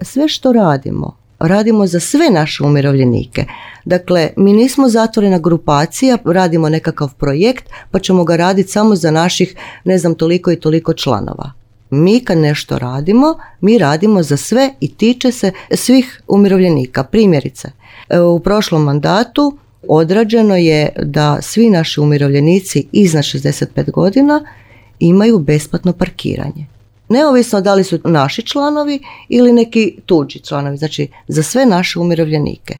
Sve što radimo za sve naše umirovljenike. Dakle, mi nismo zatvorena grupacija, radimo nekakav projekt pa ćemo ga raditi samo za naših, toliko i toliko članova. Mi kad nešto radimo, mi radimo za sve i tiče se svih umirovljenika. Primjerice, u prošlom mandatu odrađeno je da svi naši umirovljenici iznad 65 godina imaju besplatno parkiranje. Neovisno da li su naši članovi ili neki tuđi članovi, znači za sve naše umirovljenike.